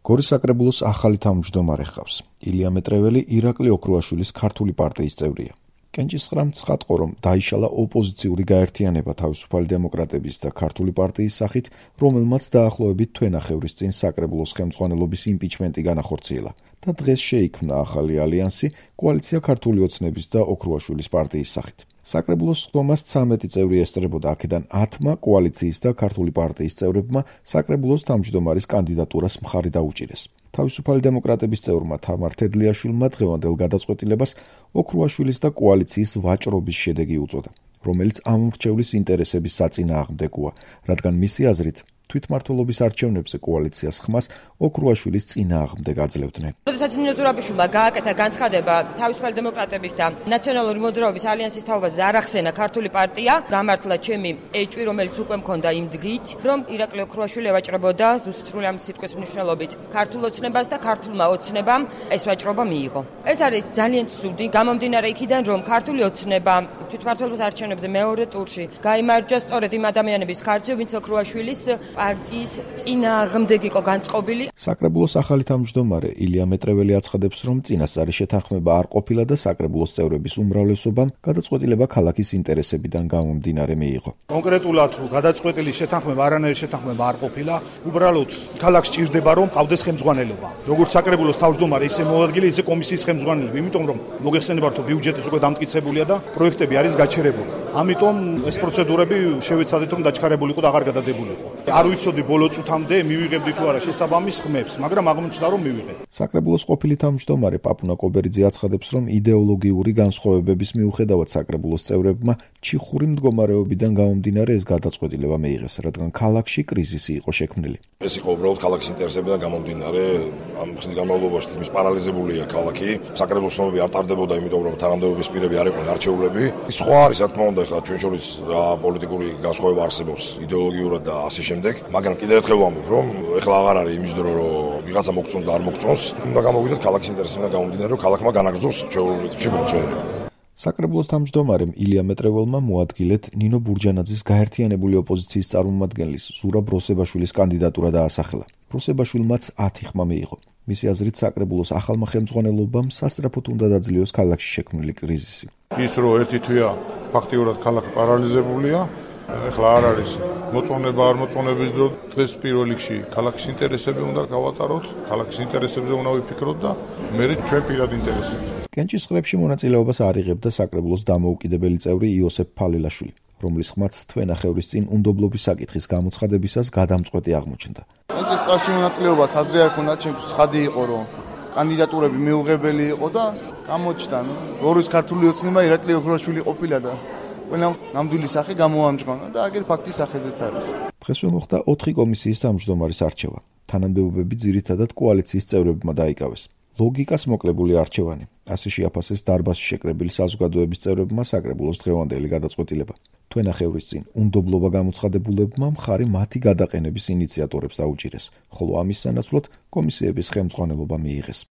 გორის საკრებულოს ახალი თავმჯდომარე ჰყავს. ილია მეტრეველი ირაკლი ოქრუაშვილის ქართული პარტიის წევრია. კენჭისყრამ ცხადყო, რომ დაიშალა ოპოზიციური გაერთიანება თავისუფალი დემოკრატების და ქართული პარტიის სახით, რომელმაც დაახლოებით თვენახევრის წინ საკრებულოს ხელმძღვანელობის იმპიჩმენტი განახორციელა და დღეს შეიქმნა ახალი ალიანსი კოალიცია ქართული ოცნების და ოქრუაშვილის პარტიის სახით. საკრებულოს სხდომას 13 წევრი ესწრებოდა, აქედან 10-მა კოალიციის და ქართული პარტიის წევრებმა საკრებულოს თავმჯდომარის კანდიდატურას მხარი დაუჭირეს. თავისუფალი დემოკრატების წევრმა თამარ თედლიაშვილმა დღევანდელ გადაწყვეტილებას ოქრუაშვილის და კოალიციის ვაჭრობის შედეგი უწოდა, რომელიც ამ მრჩევლის ინტერესების საწინააღმდეგოა, რადგან მისი აზრით თვითმმართველობის არჩევნებზე კოალიციას ხმას ოქრუაშვილის წინააღმდეგ აძლევდნენ. როდესაც ნინო ზურაბიშვილმა გააკეთა განცხადება თავისუფალი დემოკრატების და ნაციონალური მოძრაობის ალიანსის თაობაზე და არ ახსენა ქართული პარტია, გამართლა ჩემი ეჭვი, რომელიც უკვე მქონდა იმ დღით, რომ ირაკლი ოქრუაშვილი ევაჭრებოდა ზუსტად ამ სიტყვის მნიშვნელობით ქართულ ოცნებას და ქართულმა ოცნებამ ეს ვაჭრობა მიიღო. ეს არის ძალიან ცუდი, გამომდინარე იქიდან, რომ ქართული ოცნება თვითმმართველობის არჩევნებზე მეორე ტურში გაიმარჯვა სწორედ იმ ადამიანების ხარჯზე, ვინც ოქრუაშვილის პარტიის წინააღმდეგ იყო განწყობილი. საკრებულოს ახალი თავმჯდომარე ილია მეტრეველი აცხადებს, რომ წინასწარი შეთანხმება არ ყოფილა და საკრებულოს წევრების უმრავლესობამ გადაწყვეტილება ქალაქის ინტერესებიდან გამომდინარე მიიღო. კონკრეტულად რომ გადაწყვეტილი შეთანხმება არანაირი შეთანხმება არ ყოფილა, უბრალოდ ქალაქს ჭირდება რომ ყავდეს ხელმძღვანელობა. როგორც საკრებულოს თავმჯდომარე, ისე მოადგილე, ისე კომისიის ხელმძღვანელები, იმიტომ რომ მოგეხსენებათ რომ ბიუჯეტიც უკვე დამტკიცებულია და პროექტები არის გაჩერებული. ამიტომ ეს პროცედურები შევეცადეთ რომ დაჩქარებულიყო და აღარ გადადებულიყო. არ ვიცოდი ბოლო წუთამდე მივიღებდი თუ არა შესაბამის ხმებს, მაგრამ აღმოჩნდა რომ მივიღე. საკრებულოს ყოფილი თავმჯდომარე პაპუნა კობერიძე აცხადებს, რომ იდეოლოგიური განსხვავებების მიუხედავად საკრებულოს წევრებმა ჩიხური მდგომარეობიდან გამომდინარე ეს გადაწყვეტილება მიიღეს, რადგან ქალაქში კრიზისი იყო შექმნილი. ეს იყო უბრალოდ ქალაქის ინტერესებიდან გამომდინარე, ამ ხნის განმავლობაში თითქმის პარალიზებულია ქალაქი. საკრებულოს ცნობები არ ტარდებოდა, იმიტომ რომ თანამდებობის პირები არ იყვნენ არჩეულები. სხვა არის, რა თქმა უნდა, ხა ჩვენ შორის პოლიტიკური განსხვავება არსებობს იდეოლოგიურად და ასე შემდეგ, მაგრამ კიდევ ერთხელ ვამბობ, რომ ეხლა აღარ არის იმის დრო, რომ ვიღაცა მოგწონს და არ მოგწონს, უნდა გამოვიდეთ ქალაქის ინტერესებიდან გამომდინარე, რომ ქალაქმა განაგრძოს ჩვეულებრივი ფუნქციონირება. საკრებულოს თავმჯდომარემ ილია მეტრეველმა მოადგილეთ ნინო ბურჯანაძის გაერთიანებული ოპოზიციის წარმომადგენლის ზურაბ როსებაშვილის კანდიდატურა დაასახელა. როსებაშვილმაც 10 ხმა მიიღო. მისი აზრით საკრებულოს ახალმა ხელმძღვანელობამ სასწრაფოდ უნდა დაძლიოს ქალაქში შექმნილი კრიზისი. ის რომ ერთი თვეა ფაქტიურად ქალაქი პარალიზებულია, ეხლა არ არის მოწონება არ მოწონების დრო, დღეს პირველ რიგში ქალაქის ინტერესები უნდა გავატაროთ, ქალაქის ინტერესებზე უნდა ვიფიქროთ და მერე ჩვენ პირად ინტერესებზე. კენჭისყრებში მონაწილეობას არ იღებდა საკრებულოს დამოუკიდებელი წევრი იოსებ ფალილაშვილი, რომლის ხმაც თვენახევრის წინ უნდობლობის საკითხის გამოცხადებისას გადამწყვეტი აღმოჩნდა. კენჭისყრებში მონაწილეობას აზრი არ ქონდა, ჩემთვის ცხადი იყო, რომ კანდიდატურები მიუღებელი იყო და გამოჩნდა, გორის ქართული ოცნება ირაკლი ოქრუაშვილი ყოფილა და ყველა ნამდვილი სახე გამოამჟღავნა და აგერ ფაქტის სახეზეც არის. დღესვე მოხდა 4 კომისიის თავმჯდომარის არჩევა. თანამდებობები ძირითადად კოალიციის წევრებმა დაიკავეს. ლოგიკას მოკლებული არჩევანი. ასე შეაფასეს დარბაზში შეკრებილი საზოგადოების წევრებმა საკრებულოს დღევანდელი გადაწყვეტილება. თვენახევრის წინ უნდობლობა გამოცხადებულებმა მხარი მათი გადაყენების ინიციატორებს დაუჭირეს, ხოლო ამის სანაცვლოდ კომისიების ხელმძღვანელობა მიიღეს.